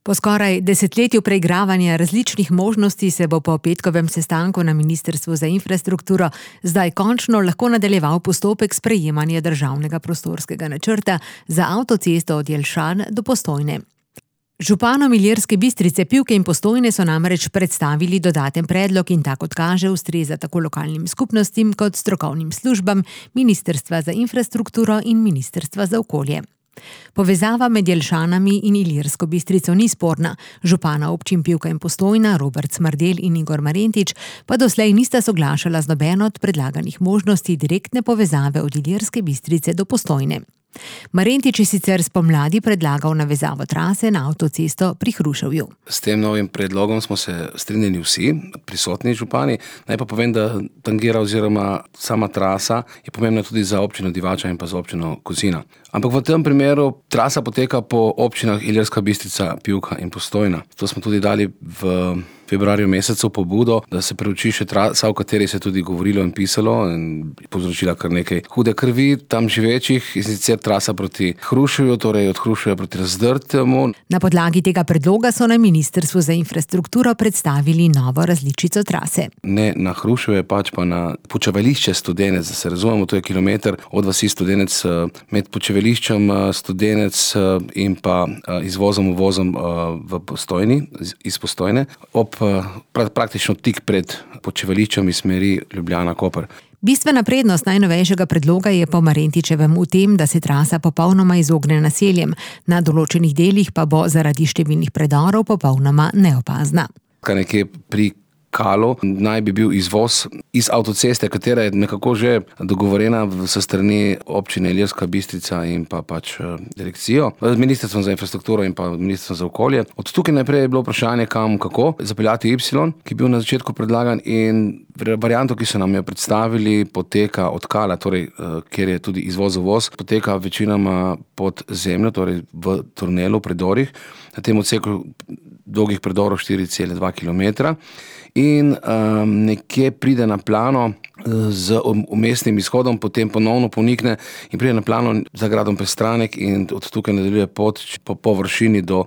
Po skoraj desetletju preigravanja različnih možnosti se bo po petkovem sestanku na Ministrstvu za infrastrukturo zdaj končno lahko nadaljeval postopek sprejemanja državnega prostorskega načrta za avtocesto od Jelšan do Postojne. Županom Ilirske Bistrice, Pivke in Postojne so namreč predstavili dodaten predlog in ta, kot kaže, ustreza tako lokalnim skupnostim kot strokovnim službam Ministrstva za infrastrukturo in Ministrstva za okolje. Povezava med Jelšanami in Ilirsko Bistrico ni sporna. Župana občin Pivka in Postojna, Robert Smrdelj in Igor Marentič, pa doslej nista soglašala z nobeno od predlaganih možnosti direktne povezave od Ilirske Bistrice do Postojne. Marentič je sicer spomladi predlagal navezavo trase na avtocesto pri Hruševju. S tem novim predlogom smo se strinjali vsi prisotni župani. Naj pa povem, da tangira oziroma sama trasa je pomembna tudi za občino Divača in pa za občino Kozina. Ampak v tem primeru trasa poteka po občinah Ilirska Bistrica, Pivka in Postojna. To smo tudi dali v februarju mesecu pobudo, da se preuči še trasa, o kateri se je tudi govorilo in pisalo in povzročila kar nekaj hude krvi tam živečih, in sicer trasa proti Hruševju, torej od Hruševja proti Razdrtemu. Na podlagi tega predloga so na Ministrstvu za infrastrukturo predstavili novo različico trase. Ne na Hruševje, pač pa na počivališče Studenec, da se razumemo, to je kilometer od vasi Studenec med počivališčem Studenec in pa izvozom uvozom v Postojni, iz Postojne, praktično tik pred počivališčem iz smeri Ljubljana-Koper. Bistvena prednost najnovejšega predloga je po Marentičevem v tem, da se trasa popolnoma izogne naseljem, na določenih delih pa bo zaradi številnih predorov popolnoma neopazna. Nekje pri Kalu naj bi bil izvoz iz avtoceste, katera je nekako že dogovorjena s strani občine Ilirska Bistrica in pa pač direkcijo, z Ministrstvom za infrastrukturo in pa Ministrstvom za okolje. Od tukaj naprej je bilo vprašanje, kako zapeljati Y, ki je bil na začetku predlagan, in varianto, ki so nam jo predstavili, poteka od Kala, torej kjer je tudi izvoz-uvoz, poteka večinoma pod zemljo, torej v tunelu, predorih, na tem odseku dolgih predorov 4,2 km. In nekje pride na plano z umestnim izhodom, potem ponovno ponikne in pride na plano za gradom Prestranek in od tukaj nadaljuje pot po površini do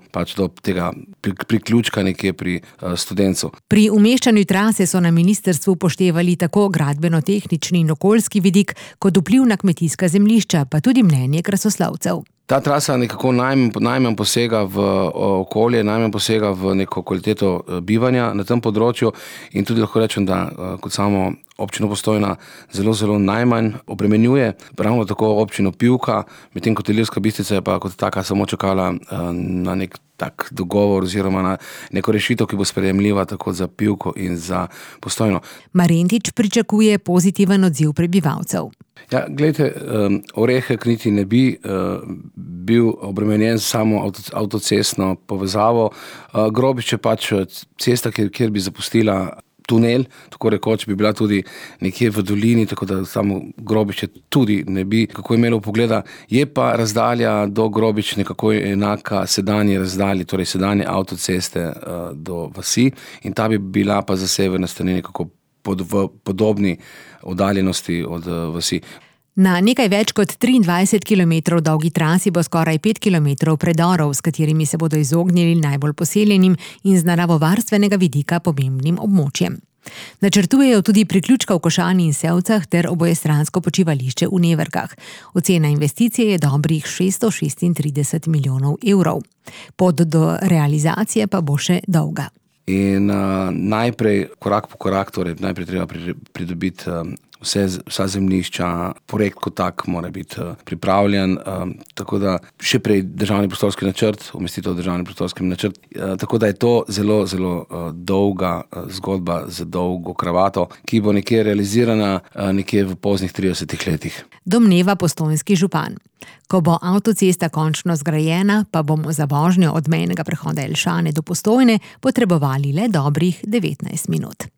tega priključka nekje pri Studencu. Pri umeščanju trase so na ministrstvu upoštevali tako gradbeno-tehnični in okoljski vidik, kot vpliv na kmetijska zemljišča, pa tudi mnenje krasoslovcev. Ta trasa nekako najmanj posega v okolje, najmanj posega v neko kvaliteto bivanja na tem področju in tudi lahko rečem, da kot samo občino Postojna zelo najmanj obremenjuje, ravno tako občino Pivka, medtem kot Ilirska Bistrica je pa kot taka samo čakala na nek tak dogovor oziroma na neko rešitev, ki bo sprejemljiva tako za Pivko in za Postojno. Marentič pričakuje pozitiven odziv prebivalcev. Ja, glejte, Orehek niti ne bi bil obremenjen samo avtocestno povezavo. Grobič je pač cesta, kjer bi zapustila tunel, tako rekoč bi bila tudi nekje v dolini, tako da samo Grobiče tudi ne bi kako imelo pogleda. Je pa razdalja do Grobič nekako enaka sedanji razdalji, torej sedanje avtoceste do vasi, in ta bi bila pa za severne strani nekako v podobni oddaljenosti od vasi. Na nekaj več kot 23 km dolgi trasi bo skoraj 5 km predorov, s katerimi se bodo izognili najbolj poseljenim in z naravovarstvenega vidika pomembnim območjem. Načrtujejo tudi priključka v Košani in Sevcah ter obojestransko počivališče v Neverkah. Ocena investicije je dobrih 636 milijonov evrov. Pot do realizacije pa bo še dolga. In najprej, korak po korak, torej najprej treba pridobiti vsa zemljišča, projekt kot tak mora biti pripravljen, tako da še prej državni prostorski načrt, umestitev v državni prostorski načrt, tako da je to zelo dolga zgodba z dolgo kravato, ki bo nekje realizirana nekje v poznih 30 letih. Domneva postojnski župan. Ko bo avtocesta končno zgrajena, pa bomo za vožnjo od mejnega prehoda Jelšane do Postojne potrebovali le dobrih 19 minut.